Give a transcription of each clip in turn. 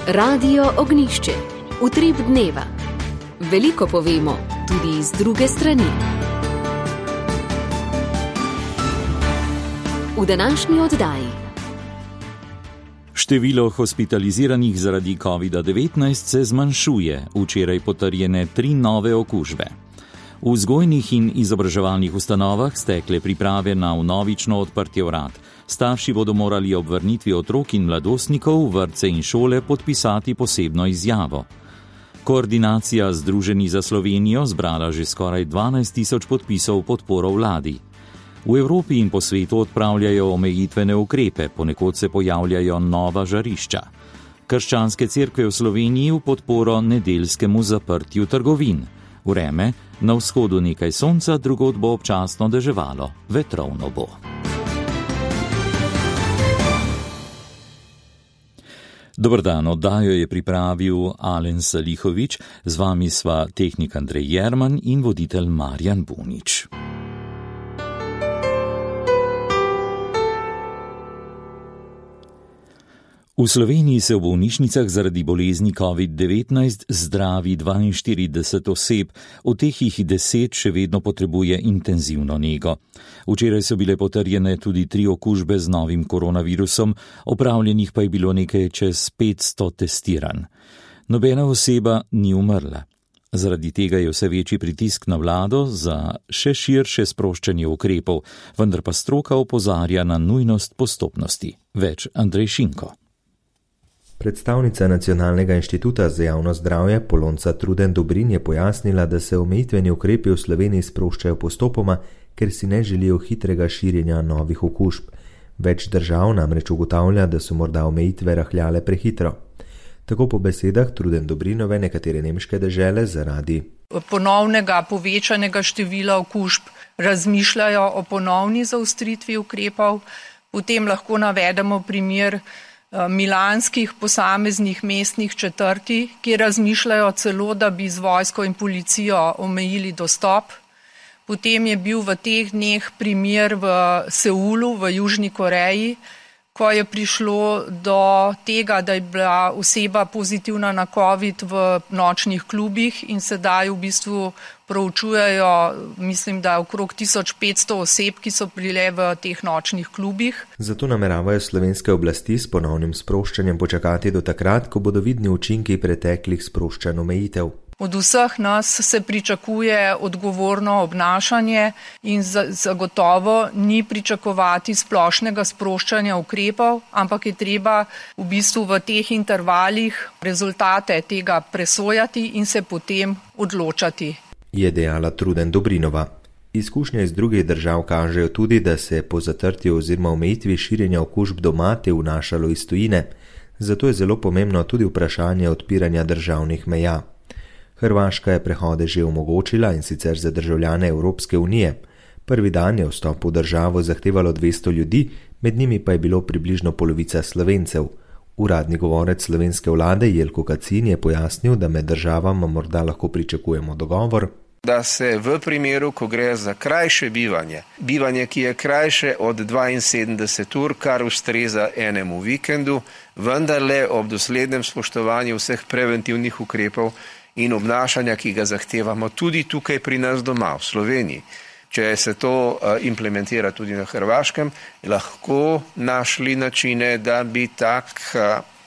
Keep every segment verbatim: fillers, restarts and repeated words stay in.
Radio Ognjišče, utrip dneva. Veliko povemo, tudi iz druge strani. V današnji oddaji. Število hospitaliziranih zaradi kovida devetnajst se zmanjšuje, včeraj potrjene tri nove okužbe. V vzgojnih in izobraževalnih ustanovah stekle priprave na vnovično odprtje vrat. Starši bodo morali ob vrnitvi otrok in mladostnikov v vrtce in šole podpisati posebno izjavo. Koordinacija Združeni za Slovenijo zbrala že skoraj dvanajst tisoč podpisov podporo vladi. V Evropi in po svetu odpravljajo omejitvene ukrepe, ponekod se pojavljajo nova žarišča. Krščanske cerkve v Sloveniji v podporo nedeljskemu zaprtju trgovin. Vreme, na vzhodu nekaj sonca, drugod bo občasno deževalo, vetrovno bo. Dober dan, oddajo je pripravil Alen Salihovič, z vami sva tehnik Andrej Jerman in voditelj Marjan Bunič. V Sloveniji se v bolnišnicah zaradi bolezni covid devetnajst zdravi dvainštirideset oseb, od teh jih deset še vedno potrebuje intenzivno nego. Včeraj so bile potrjene tudi tri okužbe z novim koronavirusom, opravljenih pa je bilo nekaj čez petsto testiranj. Nobena oseba ni umrla. Zaradi tega je vse večji pritisk na vlado za še širše sproščanje ukrepov, vendar pa stroka opozarja na nujnost postopnosti. Več Andrej Šinko. Predstavnica Nacionalnega inštituta za javno zdravje Polonca Truden Dobrin je pojasnila, da se omejitveni ukrepi v Sloveniji sproščajo postopoma, ker si ne želijo hitrega širjenja novih okužb. Več držav namreč ugotavlja, da so morda omejitve rahljale prehitro. Tako po besedah Truden Dobrinove nekatere nemške dežele zaradi ponovnega povečanega števila okužb razmišljajo o ponovni zaostritvi ukrepov. Potem lahko navedemo primer milanskih posameznih mestnih četrti, ki razmišljajo celo, da bi z vojsko in policijo omejili dostop. Potem je bil v teh dneh primer v Seulu, v Južni Koreji, ko je prišlo do tega, da je bila oseba pozitivna na covid v nočnih klubih in sedaj v bistvu proučujejo, mislim, da okrog tisoč petsto oseb, ki so bile v teh nočnih klubih. Zato nameravajo slovenske oblasti s ponovnim sproščanjem počakati do takrat, ko bodo vidni učinki preteklih sproščanj omejitev. Od vseh nas se pričakuje odgovorno obnašanje in zagotovo ni pričakovati splošnega sproščanja ukrepov, ampak je treba v bistvu v teh intervalih rezultate tega presojati in se potem odločati. Je dejala Truden Dobrinova. Izkušnje iz drugih držav kažejo tudi, da se po zatrtju oziroma omejitvi širjenja okužb doma te vnašalo iz tujine. Zato je zelo pomembno tudi vprašanje odpiranja državnih meja. Hrvaška je prehode že omogočila in sicer za državljane Evropske unije. Prvi dan je vstop v državo zahtevalo dvesto ljudi, med njimi pa je bilo približno polovica Slovencev. Uradni govorec slovenske vlade Jelko Kacin je pojasnil, da med državama morda lahko pričakujemo dogovor, da se v primeru, ko gre za krajše bivanje, bivanje, ki je krajše od dvainsedemdeset ur, kar ustreza enemu vikendu, vendarle ob doslednem spoštovanju vseh preventivnih ukrepov in obnašanja, ki ga zahtevamo tudi tukaj pri nas doma v Sloveniji. Če se to implementira tudi na Hrvaškem, lahko našli načine, da bi tak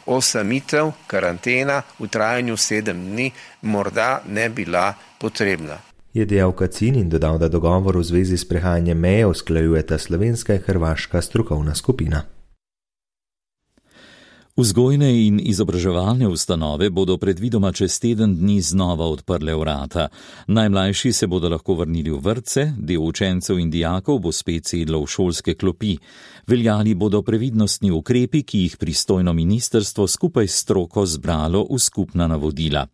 osamitev, karantena v trajanju sedem dni morda ne bila potrebna. Je dejal Kacin in dodal, da dogovor v zvezi s prehajanjem meje usklajujeta slovenska in hrvaška strokovna skupina. Vzgojne in izobraževalne ustanove bodo predvidoma čez teden dni znova odprle vrata. Najmlajši se bodo lahko vrnili v vrtce, del učencev in dijakov bo spet sedlo v šolske klopi. Veljali bodo previdnostni ukrepi, ki jih pristojno ministrstvo skupaj s stroko zbralo v skupna navodila.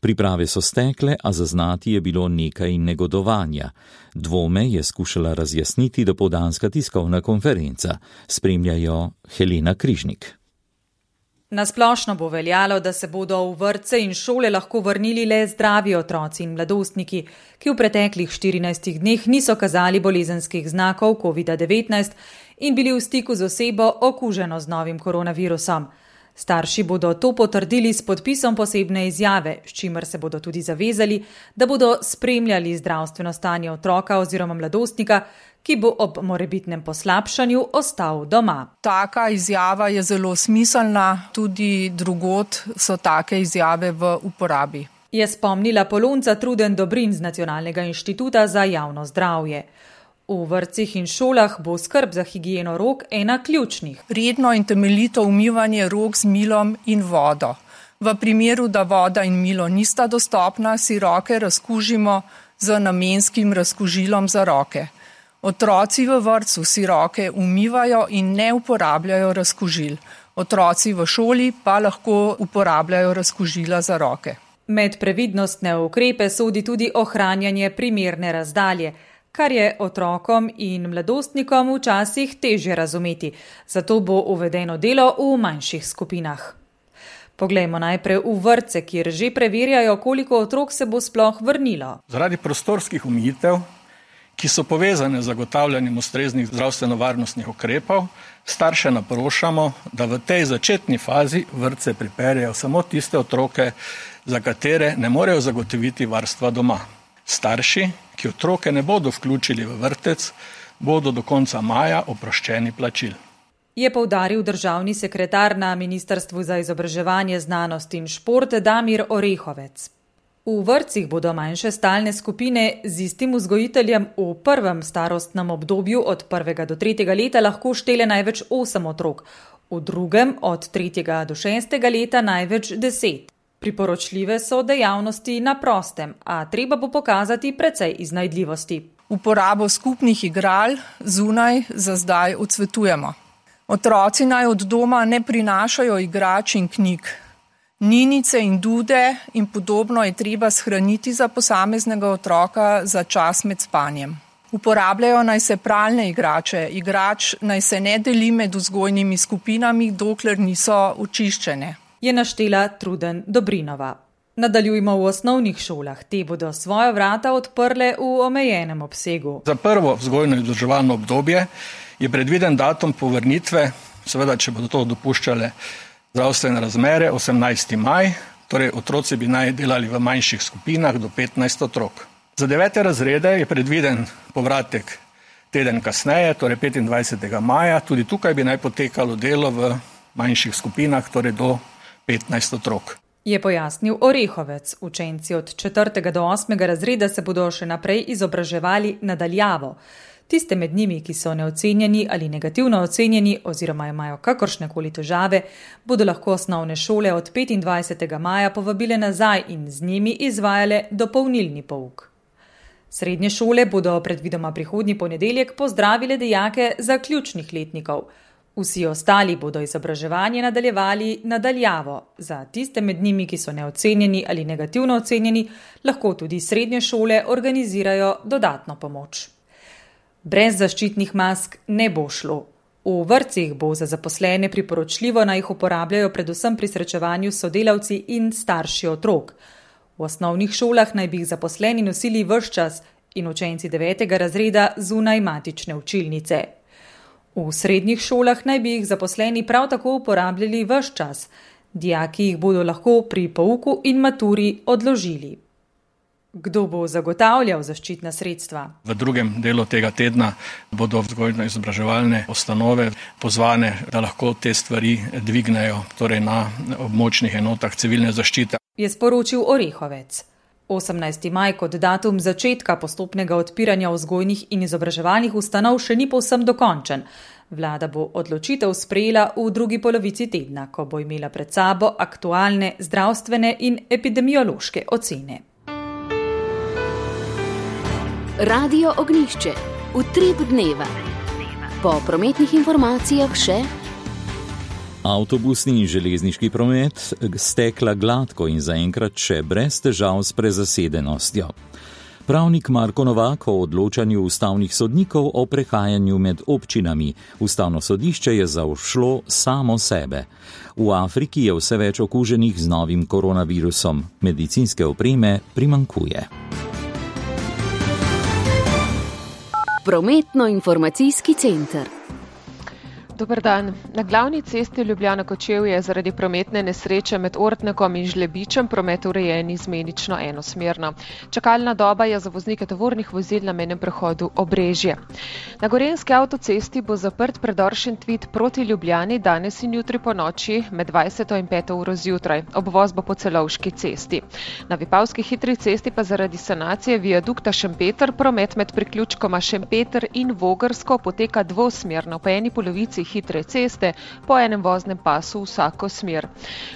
Priprave so stekle, a zaznati je bilo nekaj negodovanja. Dvome je skušala razjasniti dopoldanska tiskovna konferenca. Spremljajo Helena Križnik. Nasplošno bo veljalo, da se bodo v vrtce in šole lahko vrnili le zdravi otroci in mladostniki, ki v preteklih štirinajstih dneh niso kazali bolezenskih znakov covid devetnajst in bili v stiku z osebo okuženo z novim koronavirusom. Starši bodo to potrdili s podpisom posebne izjave, s čimer se bodo tudi zavezali, da bodo spremljali zdravstveno stanje otroka oziroma mladostnika, ki bo ob morebitnem poslabšanju ostal doma. Taka izjava je zelo smiselna, tudi drugod so take izjave v uporabi. Je spomnila Polonca Truden Dobrin z Nacionalnega inštituta za javno zdravje. V vrtcih in šolah bo skrb za higieno rok ena ključnih. Redno in temeljito umivanje rok z milom in vodo. V primeru, da voda in milo nista dostopna, si roke razkužimo z namenskim razkužilom za roke. Otroci v vrtcu si roke umivajo in ne uporabljajo razkužil. Otroci v šoli pa lahko uporabljajo razkužila za roke. Med previdnostne ukrepe sodi tudi ohranjanje primerne razdalje, kar je otrokom in mladostnikom včasih težje razumeti, zato bo uvedeno delo v manjših skupinah. Poglejmo najprej v vrtce, kjer že preverjajo, koliko otrok se bo sploh vrnilo. Zaradi prostorskih omejitev, ki so povezane z zagotavljanjem ustreznih zdravstveno-varnostnih ukrepov, starše naprošamo, da v tej začetni fazi vrtce pripeljejo samo tiste otroke, za katere ne morejo zagotoviti varstva doma. Starši, ki otroke ne bodo vključili v vrtec, bodo do konca maja oproščeni plačil. Je poudaril državni sekretar na Ministrstvu za izobraževanje, znanost in šport Damir Orehovec. V vrtcih bodo manjše stalne skupine z istim vzgojiteljem v prvem starostnem obdobju od prvega do tretjega leta lahko štele največ osem otrok, v drugem od tretjega do šestega leta največ deset. Priporočljive so dejavnosti na prostem, a treba bo pokazati precej iznajdljivosti. Uporabo skupnih igral zunaj za zdaj odsvetujemo. Otroci naj od doma ne prinašajo igrač in knjig. Ninice in dude in podobno je treba shraniti za posameznega otroka za čas med spanjem. Uporabljajo naj se pralne igrače, igrač naj se ne deli med vzgojnimi skupinami, dokler niso očiščene. Je naštela Truden Dobrinova. Nadaljujmo v osnovnih šolah. Te bodo svoja vrata odprle v omejenem obsegu. Za prvo vzgojno-izobraževalno obdobje je predviden datum povrnitve, seveda, če bodo to dopuščale zdravstvene razmere, osemnajsti maj, torej otroci bi naj delali v manjših skupinah do petnajst otrok. Za devete razrede je predviden povratek teden kasneje, torej petindvajsetega maja, tudi tukaj bi naj potekalo delo v manjših skupinah, torej do petnajst otrok. Je pojasnil Orehovec. Učenci od četrtega do osmega razreda se bodo še naprej izobraževali nadaljavo. Tiste med njimi, ki so neocenjeni ali negativno ocenjeni oziroma imajo kakršnekoli težave, bodo lahko osnovne šole od petindvajsetega maja povabile nazaj in z njimi izvajale dopolnilni pouk. Srednje šole bodo predvidoma prihodnji ponedeljek pozdravile dijake zaključnih letnikov. Vsi ostali bodo izobraževanje nadaljevali nadaljavo. Za tiste med njimi, ki so neocenjeni ali negativno ocenjeni, lahko tudi srednje šole organizirajo dodatno pomoč. Brez zaščitnih mask ne bo šlo. V vrtcih bo za zaposlene priporočljivo, naj jih uporabljajo predvsem pri srečevanju s sodelavci in starši otrok. V osnovnih šolah naj bi jih zaposleni nosili ves čas in učenci devetega razreda zunaj matične učilnice. V srednjih šolah naj bi jih zaposleni prav tako uporabljali ves čas. Dijaki jih bodo lahko pri pouku in maturi odložili. Kdo bo zagotavljal zaščitna sredstva? V drugem delu tega tedna bodo vzgojno-izobraževalne ustanove pozvane, da lahko te stvari dvignejo, torej na območnih enotah civilne zaščite. Je sporočil Orehovec. osemnajsti maj kot datum začetka postopnega odpiranja vzgojnih in izobraževalnih ustanov še ni povsem dokončen. Vlada bo odločitev sprejela v drugi polovici tedna, ko bo imela pred sabo aktualne zdravstvene in epidemiološke ocene. Radio Ognjišče. Utrip dneva. Po prometnih informacijah še avtobusni in železniški promet stekla gladko in zaenkrat še brez težav s prezasedenostjo. Pravnik Marko Novak o odločanju ustavnih sodnikov o prehajanju med občinami. Ustavno sodišče je zaobšlo samo sebe. V Afriki je vse več okuženih z novim koronavirusom. Medicinske opreme primanjkuje. Prometno-informacijski center. Dober dan. Na glavni cesti Ljubljana-Kočevje je zaradi prometne nesreče med Ortnekom in Žlebičem promet urejen izmenično enosmerno. Čakalna doba je za voznike tovornih vozil na mejnem prehodu Obrežje. Na gorenjski avtocesti bo zaprt predor Šentvid proti Ljubljani danes in jutri po noči med dvajseto in peto uro zjutraj. Obvoz bo po Celovški cesti. Na Vipavski hitri cesti pa zaradi sanacije viadukta Šempeter promet med priključkoma Šempeter in Vogrsko poteka dvosmerno po eni polovici hitre ceste po enem voznem pasu vsako smer.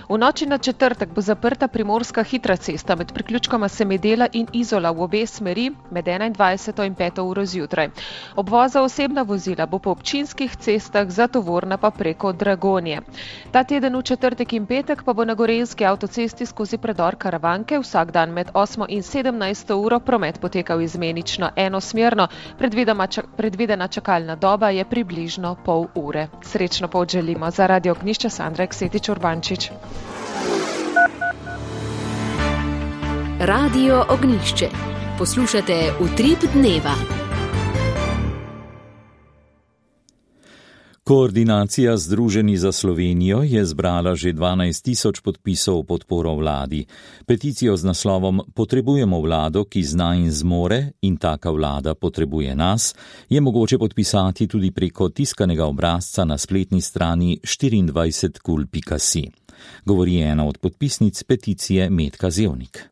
V noči na četrtek bo zaprta primorska hitra cesta med priključkoma Semedela in Izola v obe smeri med enaindvajseto in peto uro zjutraj. Obvoz za osebna vozila bo po občinskih cestah, za tovorna pa preko Dragonje. Ta teden v četrtek in petek pa bo na gorenjski avtocesti skozi predor Karavanke vsak dan med osmo in sedemnajsto uro promet potekal izmenično enosmerno, predvidena čakalna doba je približno pol ure. Srečno pot želimo. Za Radio Ognjišče Sandra Eksetič Urbančič. Radio Ognjišče. Poslušate Utrip dneva. Koordinacija Združeni za Slovenijo je zbrala že dvanajst tisoč podpisov podporo vladi. Peticijo z naslovom Potrebujemo vlado, ki zna in zmore, in taka vlada potrebuje nas, je mogoče podpisati tudi preko tiskanega obrazca na spletni strani štiriindvajset kul pika si. Govori ena od podpisnic peticije Metka Zevnik.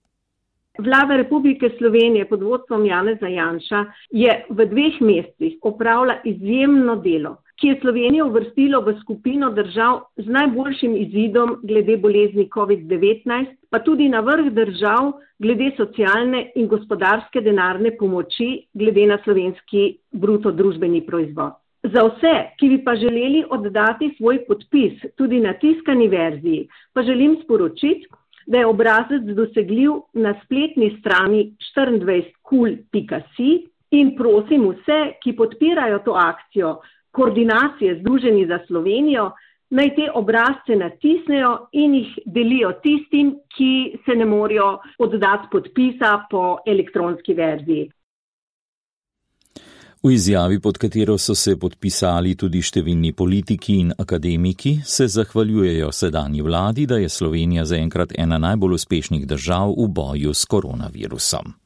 Vlada Republike Slovenije pod vodstvom Janeza Janša je v dveh mesecih opravila izjemno delo, ki je Slovenijo uvrstilo v skupino držav z najboljšim izidom glede bolezni covid devetnajst, pa tudi na vrh držav glede socialne in gospodarske denarne pomoči glede na slovenski bruto družbeni proizvod. Za vse, ki bi pa želeli oddati svoj podpis tudi na tiskani verziji, pa želim sporočiti, da je obrazec dosegljiv na spletni strani štiriindvajset kul pika si in prosim vse, ki podpirajo to akcijo Koordinacije Združeni za Slovenijo, naj te obrazce natisnejo in jih delijo tistim, ki se ne morejo oddati podpisa po elektronski verziji. V izjavi, pod katero so se podpisali tudi številni politiki in akademiki, se zahvaljujejo sedanji vladi, da je Slovenija zaenkrat ena najbolj uspešnih držav v boju s koronavirusom.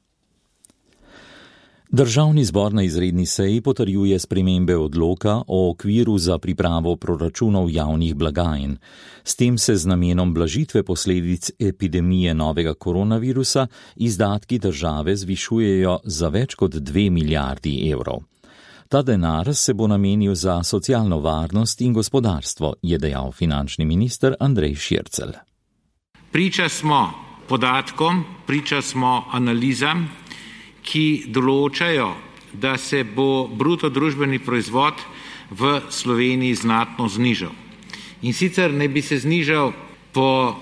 Državni zbor na izredni seji potrjuje spremembe odloka o okviru za pripravo proračunov javnih blagajn. S tem se z namenom blažitve posledic epidemije novega koronavirusa izdatki države zvišujejo za več kot dve milijardi evrov. Ta denar se bo namenil za socialno varnost in gospodarstvo, je dejal finančni minister Andrej Šircelj. Priča smo podatkom, priča smo analizam, ki določajo, da se bo bruto družbeni proizvod v Sloveniji znatno znižal. In sicer ne bi se znižal po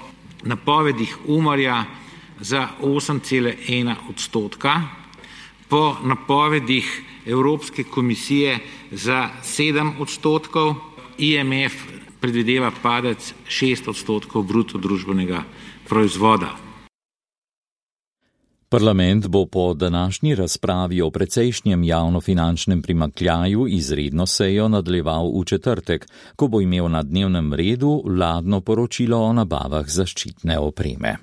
napovedih Umarja za osem cela ena odstotka, po napovedih Evropske komisije za sedem odstotkov, I M F predvideva padec šest odstotkov bruto družbenega proizvoda. Parlament bo po današnji razpravi o precejšnjem javnofinančnem primanjkljaju izredno sejo nadaljeval v četrtek, ko bo imel na dnevnem redu vladno poročilo o nabavah zaščitne opreme.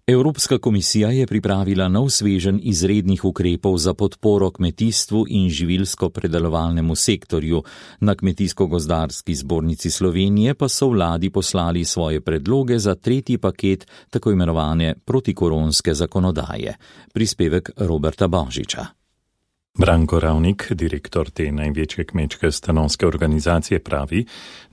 Evropska komisija je pripravila nov sveženj izrednih ukrepov za podporo kmetijstvu in živilsko-predelovalnemu sektorju. Na Kmetijsko-gozdarski zbornici Slovenije pa so vladi poslali svoje predloge za tretji paket tako imenovane protikoronske zakonodaje. Prispevek Roberta Božiča. Branko Ravnik, direktor te največje kmečke stanovske organizacije, pravi,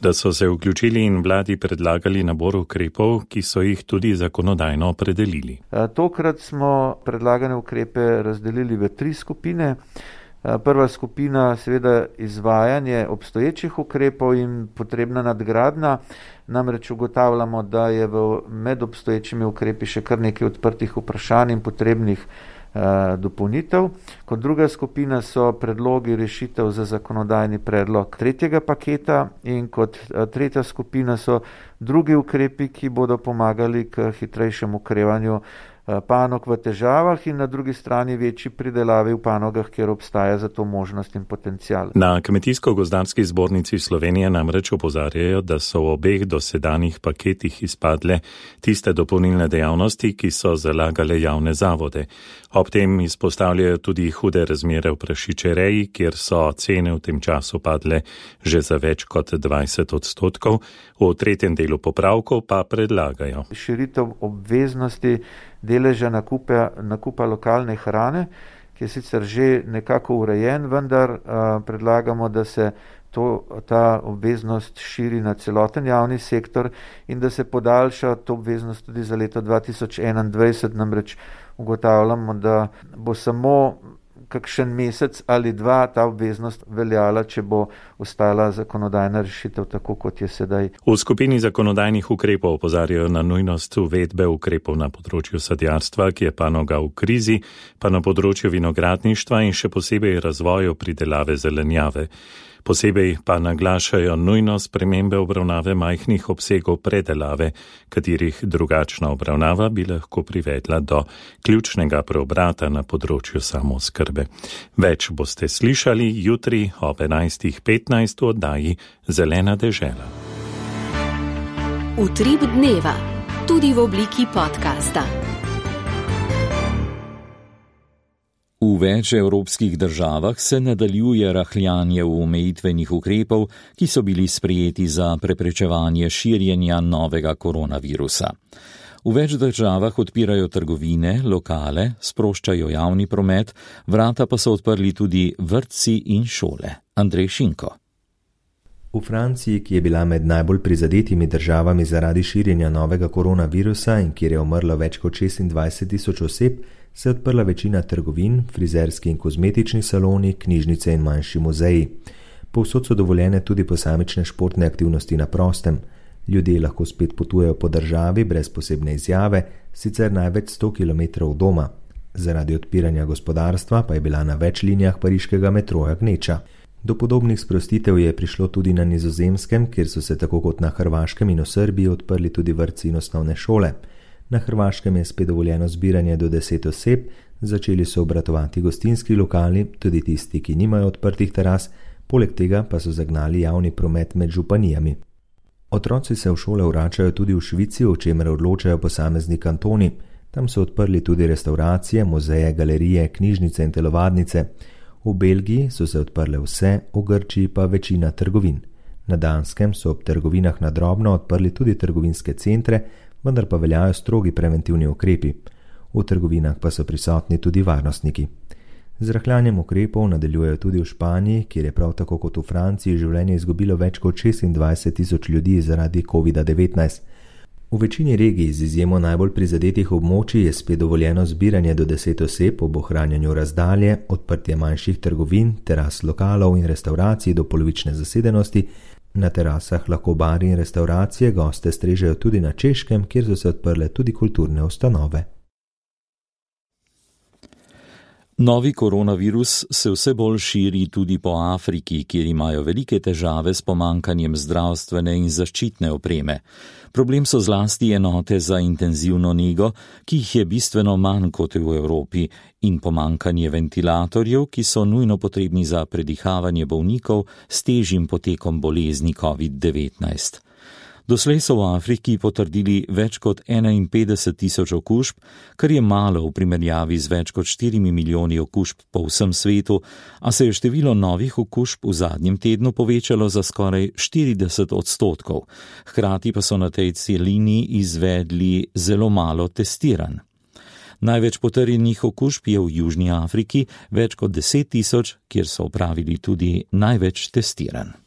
da so se vključili in vladi predlagali nabor ukrepov, ki so jih tudi zakonodajno opredelili. Tokrat smo predlagane ukrepe razdelili v tri skupine. Prva skupina seveda izvajanje obstoječih ukrepov in potrebna nadgradnja. Namreč ugotavljamo, da je v med obstoječimi ukrepi še kar nekaj odprtih vprašanj in potrebnih dopolnitev. Kot druga skupina so predlogi rešitev za zakonodajni predlog tretjega paketa in kot tretja skupina so drugi ukrepi, ki bodo pomagali k hitrejšemu okrevanju panog v težavah in na drugi strani večji pridelavi v panogah, kjer obstaja za to možnost in potencial. Na Kmetijsko-gozdarski zbornici Slovenije namreč opozarjajo, da so v obeh dosedanjih paketih izpadle tiste dopolnilne dejavnosti, ki so zalagale javne zavode. Ob tem izpostavljajo tudi hude razmere v prašičereji, kjer so cene v tem času padle že za več kot dvajset odstotkov. V tretjem delu popravkov pa predlagajo širitev obveznosti deleža nakupa, nakupa lokalne hrane, ki je sicer že nekako urejen, vendar uh, predlagamo, da se to, ta obveznost širi na celoten javni sektor in da se podaljša to obveznost tudi za leto dva tisoč enaindvajset, namreč ugotavljamo, da bo samo kakšen mesec ali dva ta obveznost veljala, če bo ostala zakonodajna rešitev tako, kot je sedaj. V skupini zakonodajnih ukrepov opozarjajo na nujnost uvedbe ukrepov na področju sadjarstva, ki je panoga v krizi, pa na področju vinogradništva in še posebej razvoju pridelave zelenjave. Posebej pa naglašajo nujnost spremembe obravnave majhnih obsegov predelave, katerih drugačna obravnava bi lahko privedla do ključnega preobrata na področju samooskrbe. Več boste slišali jutri ob enajstih petnajst v oddaji Zelena dežela. Utrip dneva, tudi v obliki podcasta. V več evropskih državah se nadaljuje rahljanje v omejitvenih ukrepov, ki so bili sprejeti za preprečevanje širjenja novega koronavirusa. V več državah odpirajo trgovine, lokale, sproščajo javni promet, vrata pa so odprli tudi vrtci in šole. Andrej Šinko. V Franciji, ki je bila med najbolj prizadetimi državami zaradi širjenja novega koronavirusa in kjer je umrlo več kot šestindvajset tisoč oseb, se je odprla večina trgovin, frizerski in kozmetični saloni, knjižnice in manjši muzeji. Povsod so dovoljene tudi posamične športne aktivnosti na prostem. Ljudje lahko spet potujejo po državi brez posebne izjave, sicer največ sto kilometrov od doma. Zaradi odpiranja gospodarstva pa je bila na več linijah pariškega metroja gneča. Do podobnih sprostitev je prišlo tudi na Nizozemskem, kjer so se tako kot na Hrvaškem in v Srbiji odprli tudi vrtci in osnovne šole. Na Hrvaškem je spet dovoljeno zbiranje do deset oseb, začeli so obratovati gostinski lokali, tudi tisti, ki nimajo odprtih teras, poleg tega pa so zagnali javni promet med županijami. Otroci se v šole vračajo tudi v Švici, o čemer odločajo posamezni kantoni. Tam so odprli tudi restauracije, muzeje, galerije, knjižnice in telovadnice. V Belgiji so se odprle vse, v Grčiji pa večina trgovin. Na Danskem so ob trgovinah na drobno odprli tudi trgovinske centre, vendar pa veljajo strogi preventivni ukrepi. V trgovinah pa so prisotni tudi varnostniki. Z rahljanjem ukrepov nadaljujejo tudi v Španiji, kjer je prav tako kot v Franciji življenje izgubilo več kot šestindvajset tisoč ljudi zaradi kovida devetnajst. V večini regij z izjemo najbolj prizadetih območij je spet dovoljeno zbiranje do deset oseb ob ohranjanju razdalje, odprtje manjših trgovin, teras lokalov in restauracij do polovične zasedenosti. Na terasah lahko bari in restauracije goste strežejo tudi na Češkem, kjer so se odprle tudi kulturne ustanove. Novi koronavirus se vse bolj širi tudi po Afriki, kjer imajo velike težave s pomankanjem zdravstvene in zaščitne opreme. Problem so zlasti enote za intenzivno nego, ki jih je bistveno manj kot v Evropi, in pomankanje ventilatorjev, ki so nujno potrebni za predihavanje bolnikov s težjim potekom bolezni covid devetnajst. Doslej so v Afriki potrdili več kot enainpetdeset tisoč okužb, kar je malo v primerjavi z več kot štirimi milijoni okužb po vsem svetu, a se je število novih okužb v zadnjem tednu povečalo za skoraj štirideset odstotkov. Hkrati pa so na tej celini izvedli zelo malo testiranj. Največ potrjenih okužb je v Južni Afriki, več kot deset tisoč, kjer so opravili tudi največ testiranj.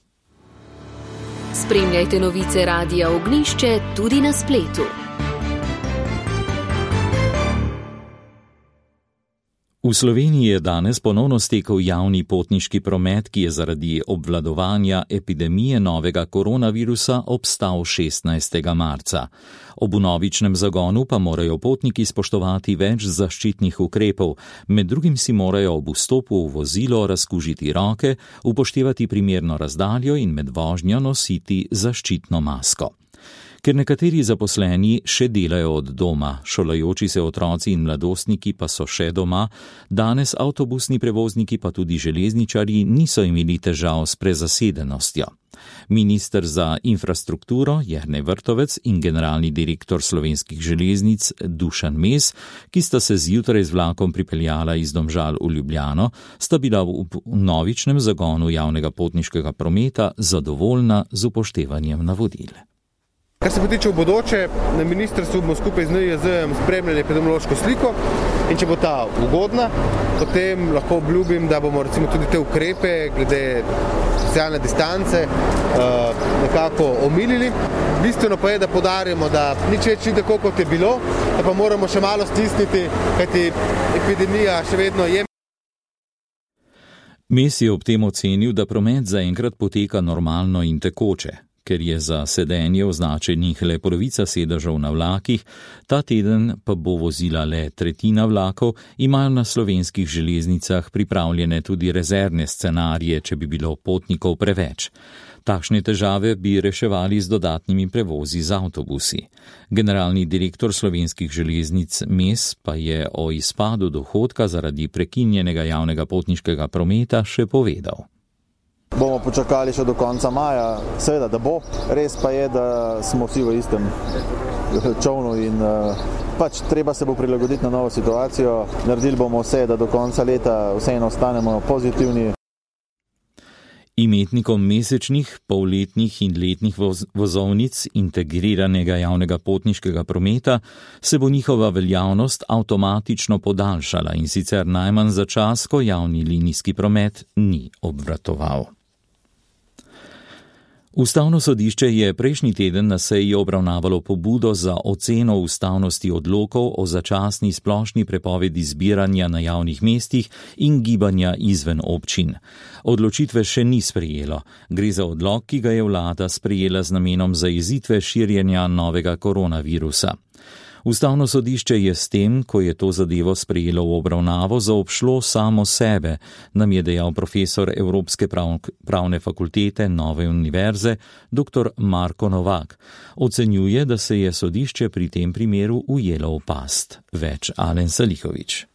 Spremljajte novice Radia Ognjišče tudi na spletu. V Sloveniji je danes ponovno stekel javni potniški promet, ki je zaradi obvladovanja epidemije novega koronavirusa obstal šestnajstega marca. Ob vnovičnem zagonu pa morajo potniki spoštovati več zaščitnih ukrepov, med drugim si morajo ob vstopu v vozilo razkužiti roke, upoštevati primerno razdaljo in med vožnjo nositi zaščitno masko. Ker nekateri zaposleni še delajo od doma, šolajoči se otroci in mladostniki pa so še doma, danes avtobusni prevozniki pa tudi železničarji niso imeli težav s prezasedenostjo. Minister za infrastrukturo Jernej Vrtovec in generalni direktor Slovenskih železnic Dušan Mes, ki sta se zjutraj z vlakom pripeljala iz Domžal v Ljubljano, sta bila v novičnem zagonu javnega potniškega prometa zadovoljna z upoštevanjem navodil. Kar se potiče v bodoče, na ministrstvu bomo skupaj z N I J Z-jem spremljali epidemiološko sliko in če bo ta ugodna, potem lahko obljubim, da bomo recimo tudi te ukrepe glede socialne distance nekako omilili. Bistveno pa je, da podarimo, da nič več ni tako, kot je bilo, da pa moramo še malo stisniti, kajti epidemija še vedno je. Mes je ob tem ocenil, da promet zaenkrat poteka normalno in tekoče. Ker je za sedenje označenih le polovica sedežev na vlakih, ta teden pa bo vozila le tretjina vlakov, imajo na slovenskih železnicah pripravljene tudi rezervne scenarije, če bi bilo potnikov preveč. Takšne težave bi reševali z dodatnimi prevozi z avtobusi. Generalni direktor Slovenskih železnic Mes pa je o izpadu dohodka zaradi prekinjenega javnega potniškega prometa še povedal. Bomo počakali še do konca maja, seveda, da bo. Res pa je, da smo vsi v istem čovnu in pač treba se bo prilagoditi na novo situacijo. Naredili bomo vse, da do konca leta vseeno ostanemo pozitivni. Imetnikom mesečnih, polletnih in letnih voz- vozovnic integriranega javnega potniškega prometa se bo njihova veljavnost avtomatično podaljšala in sicer najmanj za čas, ko javni linijski promet ni obratoval. Ustavno sodišče je prejšnji teden na seji obravnavalo pobudo za oceno ustavnosti odlokov o začasni splošni prepovedi zbiranja na javnih mestih in gibanja izven občin. Odločitve še ni sprejelo. Gre za odlok, ki ga je vlada sprejela z namenom zajezitve širjenja novega koronavirusa. Ustavno sodišče je s tem, ko je to zadevo sprejelo v obravnavo, zaobšlo samo sebe, nam je dejal profesor Evropske prav, pravne fakultete Nove univerze, dr. Marko Novak. Ocenjuje, da se je sodišče pri tem primeru ujelo v past. Več Alen Salihovič.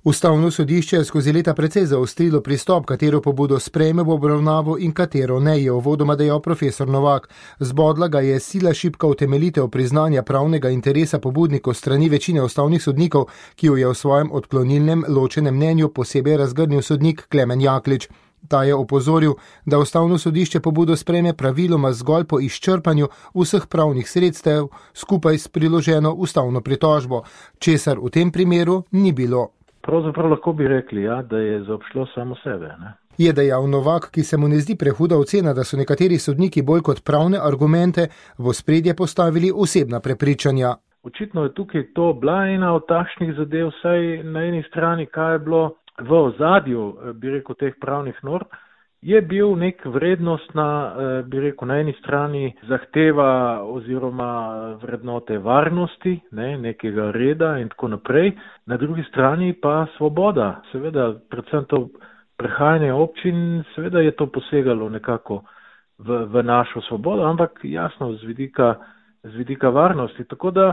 Ustavno sodišče je skozi leta precej zaostrilo pristop, katero pobudo sprejme v obravnavo in katero ne, je uvodoma dejal profesor Novak. Zbodla ga je sila šibka utemeljitev priznanja pravnega interesa pobudnikov strani večine ustavnih sodnikov, ki jo je v svojem odklonilnem ločenem mnenju posebej razgrnil sodnik Klemen Jaklič. Ta je opozoril, da ustavno sodišče pobudo sprejme praviloma zgolj po izčrpanju vseh pravnih sredstev skupaj s priloženo ustavno pritožbo, česar v tem primeru ni bilo. Pravzaprav lahko bi rekli, ja, da je zaobšlo samo sebe. Ne? Je dejal Novak, ki se mu ne zdi prehuda ocena, da so nekateri sodniki bolj kot pravne argumente v ospredje postavili osebna prepričanja. Očitno je tukaj to bila ena od takšnih zadev, saj na eni strani, kaj je bilo v ozadju, bi rekel, teh pravnih norm, je bil nek vrednostna, bi rekel, na eni strani zahteva oziroma vrednote varnosti, ne, nekega reda in tako naprej, na drugi strani pa svoboda. Seveda, predvsem to prehajanje občin, seveda je to posegalo nekako v, v našo svobodo, ampak jasno z vidika, z vidika varnosti. Tako da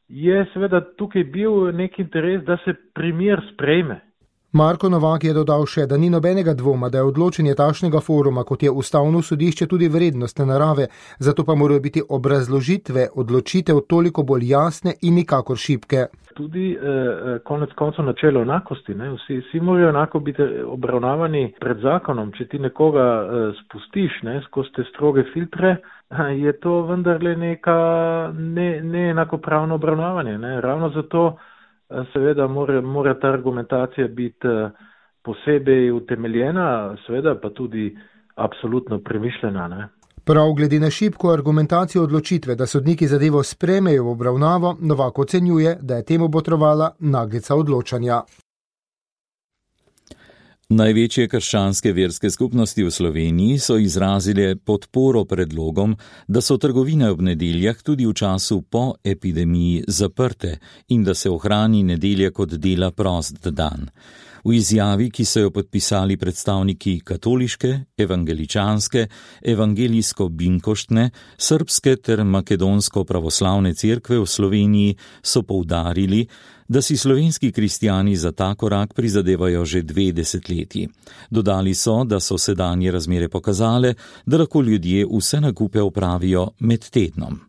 je seveda tukaj bil nek interes, da se primer sprejme. Marko Novak je dodal še, da ni nobenega dvoma, da je odločenje takšnega foruma, kot je ustavno sodišče, tudi vrednostne narave, zato pa morajo biti obrazložitve odločitev toliko bolj jasne in nikakor šibke. Tudi eh, konec koncev načelo enakosti, ne? Vsi, vsi morajo enako biti obravnavani pred zakonom. Če ti nekoga eh, spustiš, ne, skozi te stroge filtre, je to vendarle neka ne, ne enakopravno obravnavanje. Ne? Ravno zato seveda mora, mora ta argumentacija biti posebej utemeljena, seveda pa tudi absolutno premišljena. Ne? Prav glede na šibko argumentacijo odločitve, da sodniki zadevo sprejmejo v obravnavo, Novak ocenjuje, da je temu botrovala naglica odločanja. Največje krščanske verske skupnosti v Sloveniji so izrazile podporo predlogom, da so trgovine ob nedeljah tudi v času po epidemiji zaprte in da se ohrani nedelja kot dela prost dan. V izjavi, ki so jo podpisali predstavniki katoliške, evangeličanske, evangelijsko-binkoštne, srbske ter makedonsko-pravoslavne cerkve v Sloveniji, so poudarili, da si slovenski kristjani za ta korak prizadevajo že dve desetletji. Dodali so, da so sedanje razmere pokazale, da lahko ljudje vse nakupe opravijo med tednom.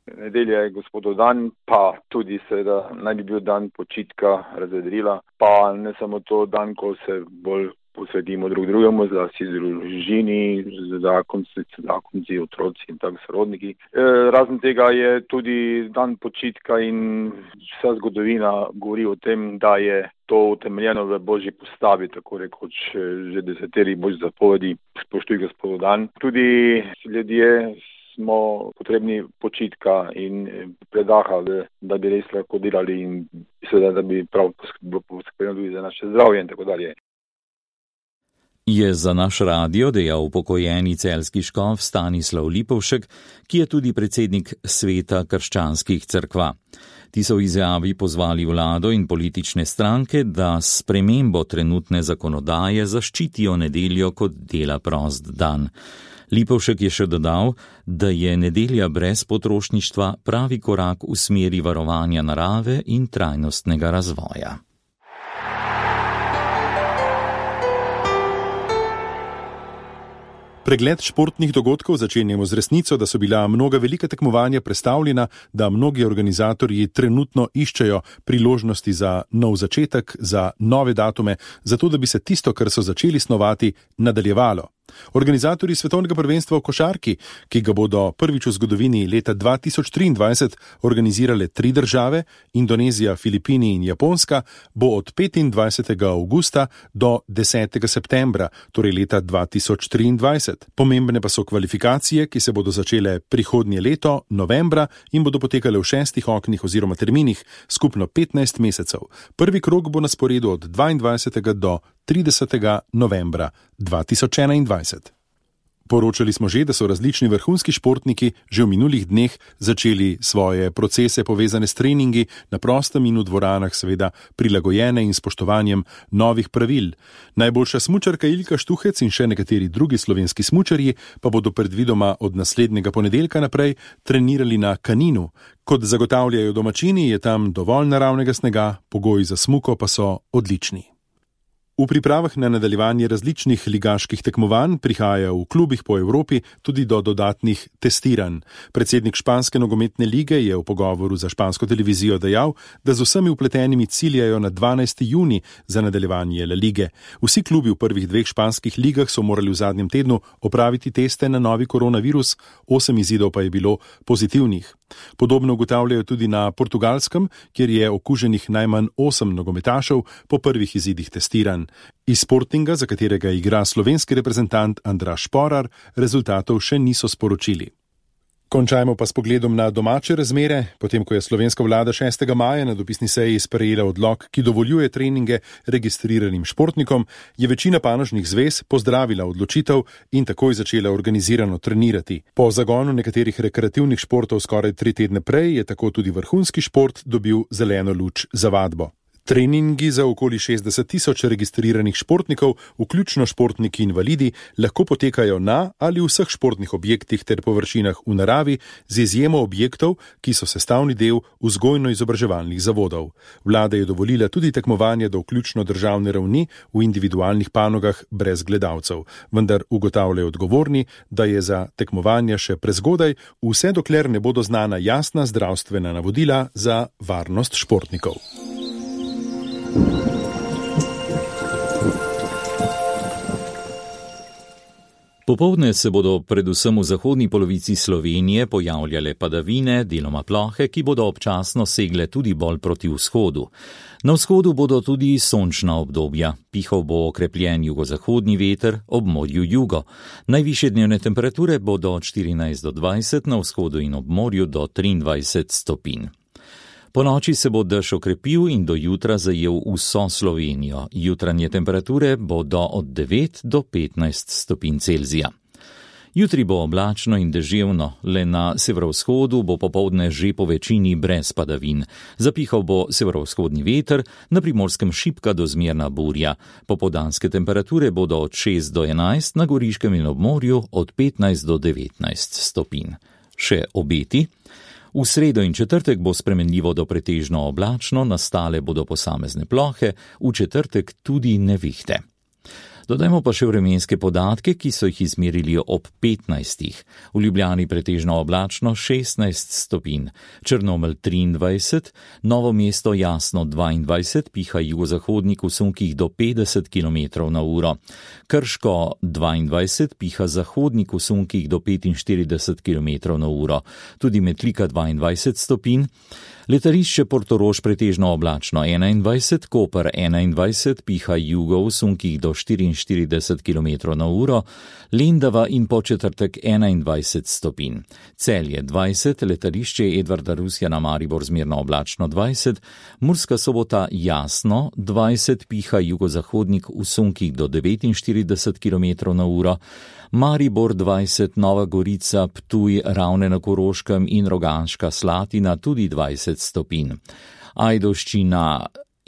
Nedelja je gospodov dan, pa tudi seveda naj bi bil dan počitka, razvedrila, pa ne samo to dan, ko se bolj posvetimo drug drugemu, zlasti družini, zakonci, zakonci, otroci in tako sorodniki. E, razen tega je tudi dan počitka in vsa zgodovina govori o tem, da je to utemeljeno v Božji postavi, tako rekoč že deseteri Božji zapovedi, spoštuj gospodov dan. Tudi ljudje smo potrebni počitka in predaha, da bi res lahko delali in seveda, da bi prav poskrbeli tudi za naše zdravje in tako dalje. Je za naš radio dejal upokojeni celjski škof Stanislav Lipovšek, ki je tudi predsednik Sveta krščanskih cerkva. Ti so v izjavi pozvali vlado in politične stranke, da s spremembo trenutne zakonodaje zaščitijo nedeljo kot dela prost dan. Lipovšek je še dodal, da je nedelja brez potrošništva pravi korak v smeri varovanja narave in trajnostnega razvoja. Pregled športnih dogodkov začenjamo z resnico, da so bila mnoga velika tekmovanja prestavljena, da mnogi organizatorji trenutno iščejo priložnosti za nov začetek, za nove datume, zato da bi se tisto, kar so začeli snovati, nadaljevalo. Organizatorji svetovnega prvenstva v košarki, ki ga bodo prvič v zgodovini leta dva tisoč triindvajset organizirale tri države, Indonezija, Filipini in Japonska, bo od petindvajsetega avgusta do desetega septembra, torej leta dva tisoč triindvajset. Pomembne pa so kvalifikacije, ki se bodo začele prihodnje leto, novembra, in bodo potekale v šestih oknih oziroma terminih, skupno petnajst mesecev. Prvi krog bo na sporedu od dvaindvajsetega do tridesetega novembra dva tisoč enaindvajset. Poročali smo že, da so različni vrhunski športniki že v minulih dneh začeli svoje procese povezane s treningi na prostem in v dvoranah, seveda prilagojene in spoštovanjem novih pravil. Najboljša smučarka Ilka Štuhec in še nekateri drugi slovenski smučarji pa bodo predvidoma od naslednjega ponedeljka naprej trenirali na Kaninu. Kot zagotavljajo domačini, je tam dovolj naravnega snega, pogoji za smuko pa so odlični. V pripravah na nadaljevanje različnih ligaških tekmovanj prihaja v klubih po Evropi tudi do dodatnih testiranj. Predsednik španske nogometne lige je v pogovoru za špansko televizijo dejal, da z vsemi vpletenimi ciljajo na dvanajsti junij za nadaljevanje La Lige. Vsi klubi v prvih dveh španskih ligah so morali v zadnjem tednu opraviti teste na novi koronavirus, osem izidov pa je bilo pozitivnih. Podobno ugotavljajo tudi na Portugalskem, kjer je okuženih najmanj osem nogometašev po prvih izidih testiranj. Iz Sportinga, za katerega igra slovenski reprezentant Andraž Šporar, rezultatov še niso sporočili. Končajmo pa s pogledom na domače razmere. Potem, ko je slovenska vlada šestega maja na dopisni seji sprejela odlok, ki dovoljuje treninge registriranim športnikom, je večina panožnih zvez pozdravila odločitev in takoj začela organizirano trenirati. Po zagonu nekaterih rekreativnih športov skoraj tri tedne prej je tako tudi vrhunski šport dobil zeleno luč za vadbo. Treningi za okoli šestdeset tisoč registriranih športnikov, vključno športniki invalidi, lahko potekajo na ali v vseh športnih objektih ter površinah v naravi, z izjemo objektov, ki so sestavni del vzgojno-izobraževalnih zavodov. Vlada je dovolila tudi tekmovanje do vključno državne ravni v individualnih panogah brez gledalcev, vendar ugotavljajo odgovorni, da je za tekmovanje še prezgodaj, vse dokler ne bodo znana jasna zdravstvena navodila za varnost športnikov. Popoldne se bodo predvsem v zahodni polovici Slovenije pojavljale padavine, deloma plohe, ki bodo občasno segle tudi bolj proti vzhodu. Na vzhodu bodo tudi sončna obdobja. Pihal bo okrepljen jugozahodni veter, ob morju jugo. Najvišje dnevne temperature bodo od štirinajst do dvajset, na vzhodu in ob morju do triindvajset stopinj. Po noči se bo dež okrepil in do jutra zajel vso Slovenijo. Jutranje temperature bodo od devet do petnajst stopinj Celzija. Jutri bo oblačno in deževno, le na severovzhodu bo popoldne že po večini brez padavin. Zapihal bo severovzhodni veter, na Primorskem šibka do zmerna burja. Popoldanske temperature bodo od šest do enajst, na Goriškem in ob morju od petnajst do devetnajst stopinj. Še obeti. V sredo in četrtek bo spremenljivo do pretežno oblačno, nastale bodo posamezne plohe, v četrtek tudi nevihte. Dodajmo pa še vremenske podatke, ki so jih izmerili ob petnajstih. V Ljubljani pretežno oblačno šestnajst stopinj, Črnomelj triindvajset, Novo mesto jasno dvaindvajset, piha jugozahodnik v sunkih do petdeset kilometrov na uro. Krško dvaindvajset, piha zahodnik v sunkih do petinštirideset kilometrov na uro. Tudi Metlika dvaindvajset stopinj. Letališče Portorož pretežno oblačno enaindvajset, Koper enaindvajset, piha jugo v sunkih do štiriinštirideset kilometrov na uro, Lendava in Podčetrtek enaindvajset stopinj. Celje dvajset, letališče Edvarda Rusjana Maribor zmerno oblačno dvajset, Murska Sobota jasno dvajset, piha jugozahodnik v sunkih do devetinštirideset kilometrov na uro, Maribor dvajset, Nova Gorica, Ptuj, Ravne na Koroškem in Rogaška Slatina tudi dvajset stopinj. Ajdovščina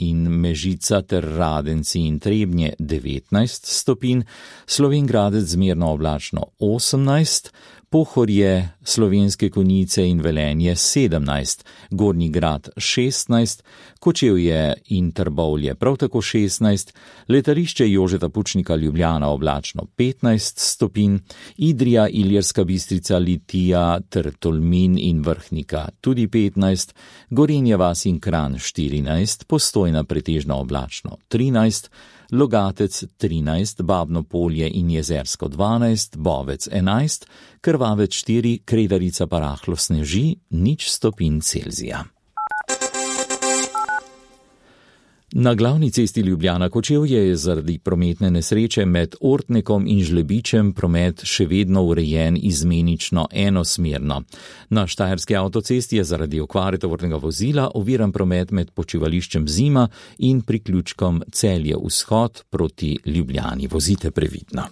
in Mežica ter Radenci in Trebnje devetnajst stopinj, Slovenj Gradec zmerno oblačno osemnajst, Pohorje, Slovenske Konjice in Velenje sedemnajst, Gornji Grad šestnajst, Kočevje in Trbovlje prav tako šestnajst, letališče Jožeta Pučnika Ljubljana oblačno petnajst stopinj, Idrija, Ilirska Bistrica, Litija ter Tolmin in Vrhnika tudi petnajst, Gorenja vas in Kranj štirinajst, Postojna pretežno oblačno trinajst, Logatec trinajst, Babno Polje in Jezersko dvanajst, Bovec enajst, Krvavec štiri, Kredarica pa rahlo sneži, nič stopinj Celzija. Na glavni cesti Ljubljana-Kočevje je zaradi prometne nesreče med Ortnekom in Žlebičem promet še vedno urejen izmenično enosmerno. Na Štajerski avtocesti je zaradi okvare tovornega vozila oviran promet med počivališčem Zima in priključkom Celje vzhod proti Ljubljani. Vozite previdno.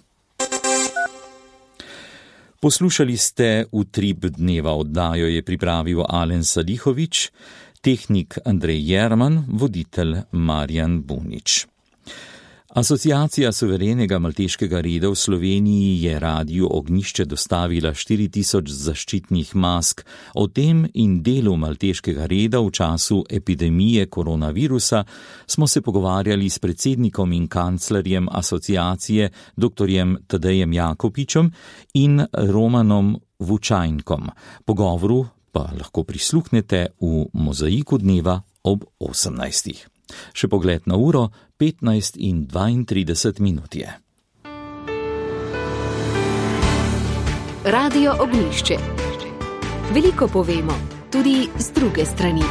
Poslušali ste Utrip dneva, oddajo je pripravil Alen Salihovič, tehnik Andrej Jerman, voditelj Marjan Bunič. Asociacija suverenega malteškega reda v Sloveniji je Radiu Ognjišče dostavila štiri tisoč zaščitnih mask. O tem in delu malteškega reda v času epidemije koronavirusa smo se pogovarjali s predsednikom in kanclerjem asociacije doktorjem Tadejem Jakopičem in Romanom Vučajnkom. Pogovoru pa lahko prisluhnete v Mozaiku dneva ob osemnajstih. Še pogled na uro, petnajst in dvaintrideset minut je. Radio Ognjišče. Veliko povemo, tudi z druge strani.